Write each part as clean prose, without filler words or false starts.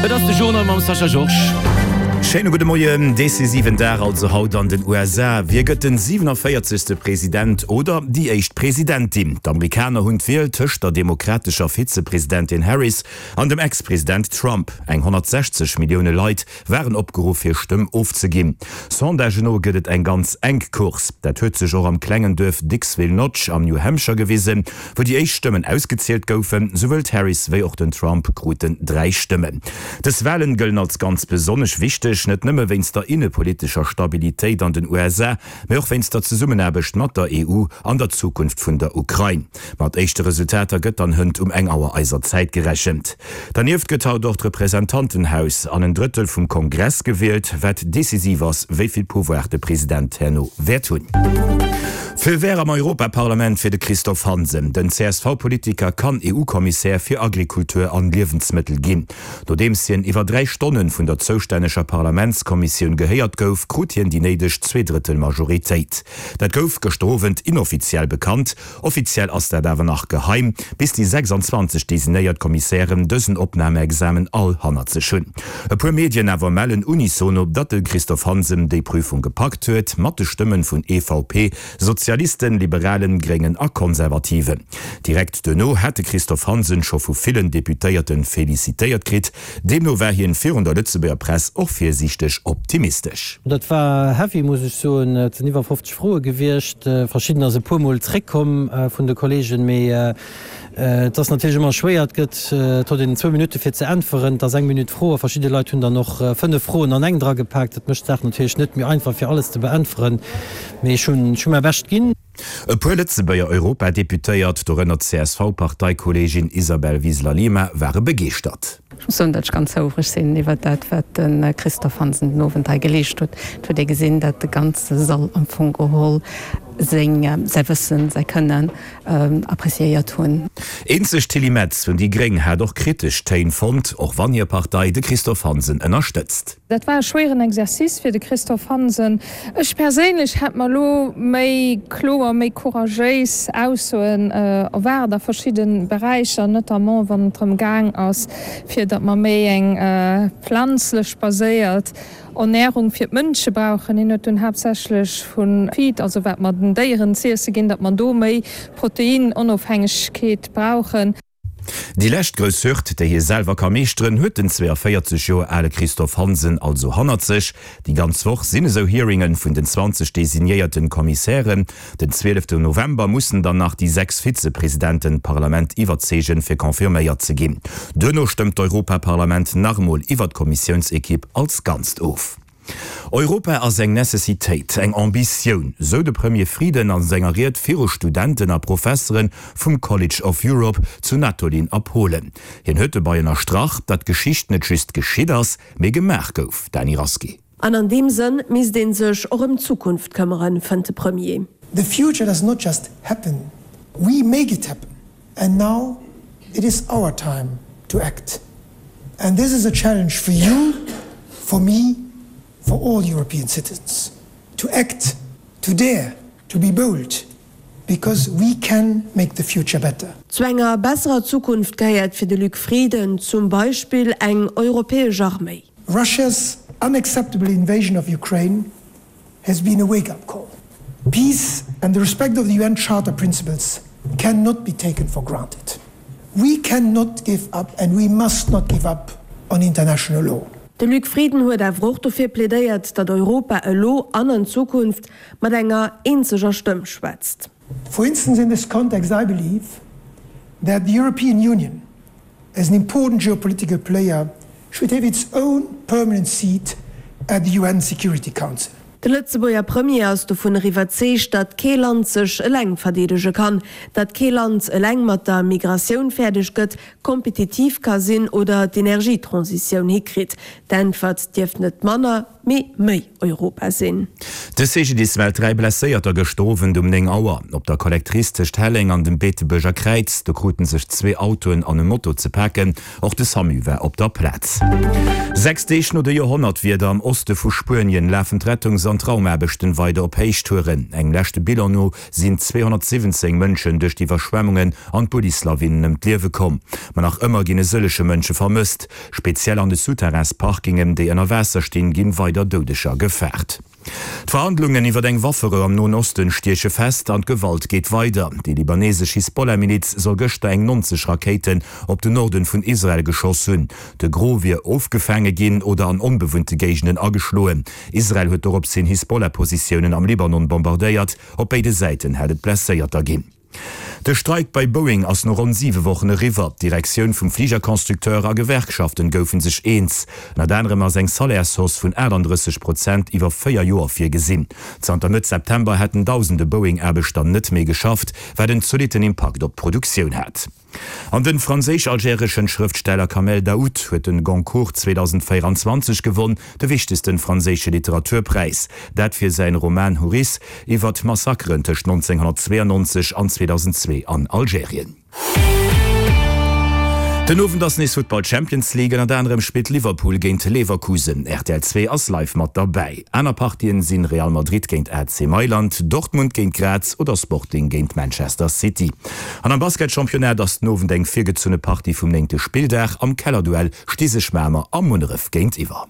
Et ass de Journal mam Sascha Georges. Schéine gudde Moien. Decisiven Dag also haut an den USA. Wie gëtt den 47. President oder déi éischt Presidentin? D'Amerikaner hunn d'Wiel tëscht der demokratescher Vizepresidentin Harris an dem Ex-President Trump. Eng 160 Millioune Leit waren opgeruff hir Stëmm ofzeginn. Sondagen no gëtt et eng ganz enk Course. Dat huet sech och am klengen Duerf Dixville Notch am New Hampshire gewisen, wou déi éischt Stëmmen ausgezielt goufen. Souwuel d'Harris wéi och den Trump kruten 3 Stëmmen. Dës Walen gëllen als ganz besonnesch wichteg, net nëmme wéinst der innepolitescher Stabilitéit an den USA, mee och wéinst der Zesummenaarbecht mat der EU an der Zukunft vun der Ukrain. Mat éischte Resultater gëtt dann hënt um eng Auer eiser Zäit gerechent. Dernieft gëtt haut och d'Representantenhaus an en Drëttel vum Kongress gewielt, wat decisiv ass, wéi vill Pouvoir de President herno wäert hunn. Feu vert am Europaparlament fir de Christophe Hansen. Den CSV-Politiker kann EU-Kommissär fir Agrikultur an Liewensmëttel ginn. Nodeems hien iwwer 3 Stonnen vun der zoustänneger Parlamentskommissioun gehéiert gouf, krut hien déi néideg Zweedrëttel-Majoritéit. Dat gouf gëschter Owend inoffiziell bekannt. Offiziell ass dat awer nach geheim, bis déi 26 designéiert Kommissären dësen Opnahmeexamen all hannert sech hunn. E puer Medien awer mellen unisono, datt de Christophe Hansen déi Prüfung gepackt huet, mat de Stëmmen vun EVP, Sozialisten, Liberalen, Gréngen a Konservativen. Direkt duerno hat de Christophe Hansen scho vu villen Deputéierten felicitéiert kritt. Deemno war hien virun der Lëtzebuerger Press och virsiichteg optimistesch. Dat war heavy, muss ech soen. Et sinn iwwer 50 Froe gewiescht. Verschiddener si puer Mol zréckkomm vun de Kollegen. Mee et ass natierlech ëmmer schwéier. Et gëtt, et huet een zwou Minutte fir ze äntweren. Et ass eng Minutt Fro a verschidde Leit hunn dann och 5 Froen an eng dragepaakt. Dat mécht d'Saach natierlech net méi einfach fir alles ze beäntweren. Mee ech hunn, ech hu mäi Bescht ginn. E puer Lëtzebuerger Europadeputéiert, dorënner d'CSV-Parteikolleegin Isabel Wiseler-Lima, ware begeeschtert. Ech muss soen, datt ech ganz houfreg sinn iwwert dat, wat de Christophe Hansen den Owend hei geleescht huet. Et huet ee gesinn, datt de ganze Sall am Fong geholl seng, säi Wëssen, säi Kënnen appreciéiert hunn. Eenzeg d'Tilly Metz vun déi Gréng hat och kritesch Téin fonnt, och wann hir Partei de Christophe Hansen ënnerstëtzt. Dat war e schwéieren Exercice fir de Christophe Hansen. Ech perséinlech hätt mer elo méi kloer, méi couragéis Aussoen erwaart a verschidde Beräicher, notamment wann et drëm gaang ass, fir datt mer méi eng planzlech baséiert Ernärung fir d'Mënsche brauchen. Hien huet dunn haaptsächlech vu Feed, also wat mer den Déieren z'iesse ginn, datt mer do méi Proteinonofhängegkeet brauchen. Déi lescht grouss Hürd, déi hie selwer ka meeschteren, huet den 42 Joer ale Christophe Hansen also hannert sech. Déi ganz Woch sinn esou Hearinge vun den 20 designéierten Kommissären. Den 12 November mussen dann nach déi 6 Vizepresidenten d'Parlament iwwerzeegen, fir confirméiert ze ginn. Duerno stëmmt d'Europaparlament nach emol iwwer d'Kommissiounsekipp als Ganzt of. Europa ass eng Necessitéit, eng Ambitioun, sou de Premier Frieden a senger Ried viru Studenten a Professere vum College of Europe zu Natolin a Polen. Hien huet dobei ënnerstrach, datt Geschicht net just geschitt ass, mee gemaach gouf. Dany Rasqué. An an deem Sënn misst ee sech och ëm d'Zukunft këmmeren, fënnt de Premier. The future does not just happen, we make it happen and now it is our time to act. And this is a challenge for you, for me, for all European citizens, to act, to dare, to be bold, because we can make the future better. Zu enger besserer Zukunft gehéiert fir de Luc Frieden zum Beispill eng europäesch Arméi. Russia's unacceptable invasion of Ukraine has been a wake-up call. Peace and the respect of the UN Charter principles cannot be taken for granted. We cannot give up and we must not give up on international law. De Luc Frieden huet awer och dofir plädéiert, datt Europa elo an an Zukunft mat enger eenzeger Stëmm schwätzt. For instance, in this context I believe that the European Union as an important geopolitical player should have its own permanent seat at the UN Security Council. De Lëtzebuerger Premier ass dovunner iwwerzeegt, datt kee Land sech eleng verdeedege kann, datt kee Land eleng mat der Migratioun fäerdeg gëtt, kompetitiv ka sinn oder d'Energietransitioun hikritt. D'Äntwert dierft net manner. Mee méi Europa sinn. De CGDIS mellt 3 Blesséierter gëschter Owend um 9 Auer. Op der Collectrice tëscht Helleng an dem Beetebuerger Kräiz. Do kruten sech zwee Autoen an e Moto ze paken. Och de Samu war op der Plaz. 6 Deeg no de Joerhonnertwieder am Oste vu Spuenien lafen d'Rettungs an d'Raumaarbechten weider op Héichtouren. Engem leschte Bilan no sinn 217 Mënschen duerch d'Iwwerschwemmungen an d'Bullislawinen ëm d'Liewe komm. Ma nach ëmmer ginn e sëllege Mënsche vermësst. Speziell an de Souterrainsparkingen, déi ënner Waasser stinn, ginn weider Doudeger gefaart. D'Verhandlungen iwwer eng Wafferou am Noen Osten stieche fest an d'Gewalt geet weider. Déi libanesesch Hisbollah-Miliz soll gëschter eng 90 Rakéiten op den Norden vun Israel geschoss hunn. De Gros wier ofgefaange ginn oder an onbewunnte Géigenden ageschloen. Israel huet dorops hin Hisbollah-Positiounen am Libanon bombardéiert. Op béide Säiten hätt et Blesséierter ginn. De Streik bei Boeing ass no ronn 7 Wochen eriwwer. D'Direktioun vum Fligerconstructeur a Gewerkschaften goufe sech eens. Ënnert anerem ass eng Salairshausse vun 38 Prozent iwwer 4 Joer virgesinn. Zanter Mëtt September hätten dausende Boeing-Aarbechter net méi geschafft, wat en zolitten Impakt op d'Produktioun hat. An den franséisch-algereschen Schrëftsteller Kamel Daoud huet den Goncourt 2024 gewonn, de wichtegsten franséische Literaturpräis. Dat fir säin Roman Houris iwwer d'Massakeren tëscht 1992 an 2002 an Algerien. Den Owend ass nees Futtball Champions League, ënnert anerem spillt Liverpool géint Leverkusen. Rtl 2 ass live mat derbäi. Aner Partien sinn Real Madrid géint AC Mailand, Dortmund géint Graz oder Sporting géint Manchester City. An am Basketchampionnat ass den Owend eng virgezunne Partie vum néngte Spilldag. Am Kellerduell sti sech Mamer a Munneref géintiwwer.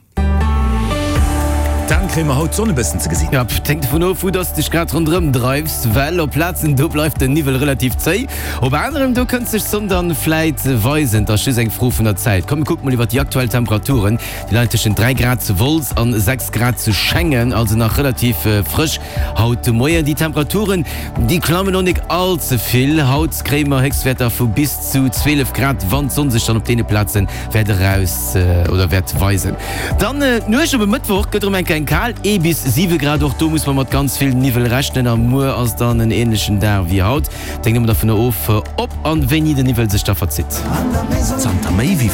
Dan, kréie mer haut d'Sonn e bëssen ze gesinn? Jo, et hänkt dovun of, wou dass de dech grad ronderëm dreifs, well op Plazen do bleift den Niwwel relativ zéi, op aneren do kënnt sech d'Sonn dann vläit weisen. Et ass just eng Fro vun der Zäit. Komm mir kucke mol iwwert déi aktuell Temperaturen, déi leien tëschent 3 Grad zu Wolz an 6 Grad zu Schengen, also nach relativ frësch haut de Moien. Déi Temperaturen, déi klammen och nik all ze vill. Haut kréie mer Héchstwäerter vu bis zu 12 Grad, wann d'Sonn sech dann op deene Plaze wäert eraus oder wäert weisen. Dann d'Nuecht op e Mëttwoch gëtt erëm eng kleng kal, ee bis 7 Grad. Och do muss mer mat ganz vill Niwwel rechnen a muer ass dann en änlechen Dag wéi haut. Et hänkt ëmmer dervun of, ob an wéini den Niwwel sech da verzitt. Zanter méi wéi.